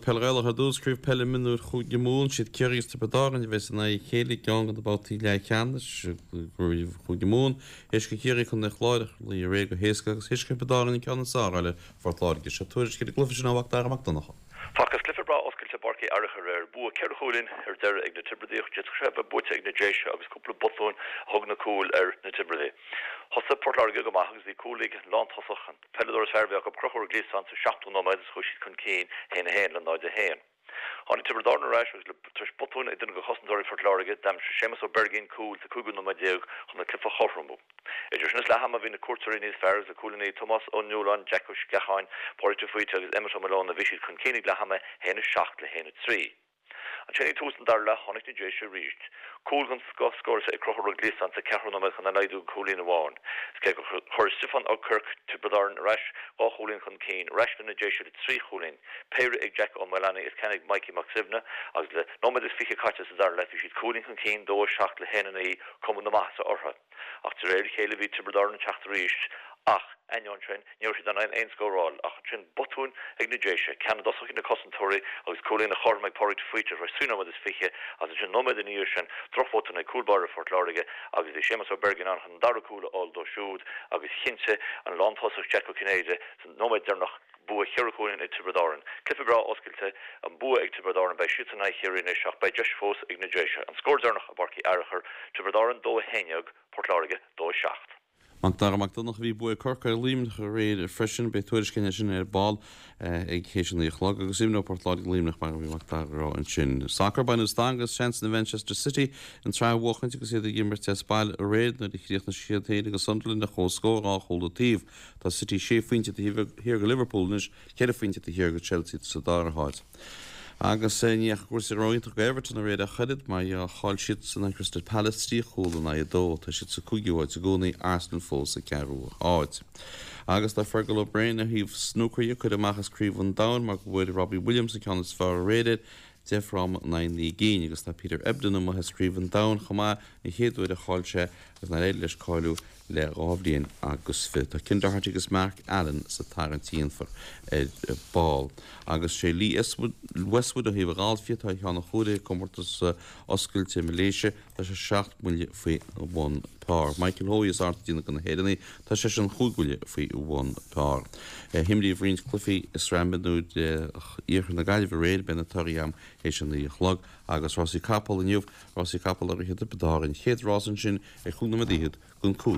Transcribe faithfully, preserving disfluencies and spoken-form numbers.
Peil Ghaelach ar dtús, Craobh Peile Mionúir Chúige Mumhan, siad Ciarraí agus Tiobraid Árann a bheas in aghaidh a chéile i gceann de na babhtaí leathcheannais i gCraobh Chúige Mumhan. Théis do Chiarraí Contae an Chláir a chloí aréir go héasca agus théis do Thiobraid Árann an ceann is fearr a fháil ar Phort Láirge. Seo tuairisc ar an gcluiche sin ó Mhac Dara Mac Donncha. Facthas cluiche breá oscailte i bPáirc Uí Fhearacha aréir, bua ceithre chúilín ar deireadh ag na Tiobradaigh. D'fhéadfadh sé a bheith buaite ag na Déise agus cúpla botún a thug na cúil ar na Tiobradaigh. Thosaigh Port Láirge go maith agus bhí cúl ag an lántosach, an peileadóir is fearr a bhí acu, Conchúr Ó Gliasáin, sa seachtú nóiméad agus chuaigh siad chun cinn a haon a haon le náid a haon. Tháinig Tiobraid Árann ar ais agus le tar éis botúin ag duine de chosantóirí Phort Láirge, d'aimsigh Séamus Ó Beirgín cúl sa cúigiú nóiméad déag chun an cluiche a chothromú. Idir sin is leath ama bhí na cuairteoirí níos fearr agus le cúilíní Tomás Ó Nualláin, Jack Ó Sceacháin, Pádraig de Faoite agus Emmet Ó Maoileoin bhí siad chun cinn ag leath ama a haon a seacht le haon a trí. Ansin ag tús an dara leath tháinig na Déise arís. Cúl den scoth scóráilte ag Conchúr Ó Gliasáin sa ceathrú nóiméad chun é a laghdú go cúilín amháin. Is cé gur chuir Stiofán Ó Cuirc Tiobraid Árann ar ais dhá chúilín chun cinn, ar ais le na Déise le trí chúilín, péire ag Jack Ó Maolannaigh is ceann ag Mikey Mac Suibhne, agus le nóiméad is fiche caite sa dara leath bhí siad cúilín chun cinn, dó a seacht le haon a naoi, cuma na maitheasa orthu. Ach de réir a chéile bhí Tiobraid Árann ag teacht arís ach, ainneoin sin, ní raibh siad in ann aon scór a fháil ach ansin botún ag na Déise, ceann i dtosach ag na cosantóirí agus cúilín a chothrom ag Pádraig de Faoite tar éis trí nóiméad is fiche agus ansin nóiméad ina dhiaidh sin drochbhotún ag cúl báire Phort Láirge agus bhí Séamus Ó Beirgín ann chun an dara cúl a fháil dó siúd agus chinntigh an lántosach Jack Ó Cinnéide sa nóiméad deireanach bua cheithre chúilín ag Tiobraid Árann. Cluiche breá oscailte, an bua ag Tiobraid Árann, beidh siadsan in aghaidh Chiarraí anois ach beidh deis fós ag na Déise. An scór deireanach i bPáirc Uí Fhearachair, Tiobraid Árann dó a haon déag, Port Láirge dó a seacht. Mac Dara Mac Donncha Bhí bua ag Corcaigh ar Luimneach aréir freisin, beidh tuairisc againn air sin ar ball ag théis a naoi a chlog agus imreoidh Port Láirge Luimneach mar a bhí Mac Dara a rá ansin. Sacar Beidh na stangadh as seansanna Manchester City an tsraith a bhuachaint agus iad ag imirt as baile aréir nuair a chríochnaigh siad féin agus Sunderland ar comhscór dhá chúl an taobh. Tá City sé phointe taobh thiar de Liverpool anois, ceithre phointe taobh thiar de Chelsea sa dara háit. Agus ní dheachaigh cúrsaí ró-iontach do Everton aréir ach oiread mar chaill siad san Crystal Palace trí chúl in aghaidh a dó. Tá siad sa cúigiú háit i gcónaí, Arsenal fós sa ceathrú háit. Agus tá Fergal O'Brien ó thaobh snúcair de curtha amach as Craobh an Domhain mar go bhfuair Robbie Williams an ceann is fearr aréir air deich bhfráma in aghaidh naoi gcinn agus tá Peter Ebdon amuigh as Craobh an Domhain chomh maith an chéad uair a chaill sé agus nár éirigh leis cáiliú le dhá bhliain agus fiche. Tá Ken Doherty agus Mark Allen sa tarraingt a dhéanfar ar ball. Agus sé Lee Westwood ó thaobh an ghailf atá ar cheann an chomhairimh i gcomórtas oscailte Malaysia, tá sé seacht mbuille faoi bhun par. Michael Hoey is airde de na hÉireannaigh, tá seisean chúig bhuille faoi bhun par. Himríodh roinnt cluichí i sraith mionúir Iarthar na Gaillimhe aréir, beidh na torthaí agam théis a naoi a chlog agus rásaí capall inniu, rásaí capall ar Dhroichead Tiobraid Árann, chéad rás ansin ar chúig nóiméad fhichead don cúig.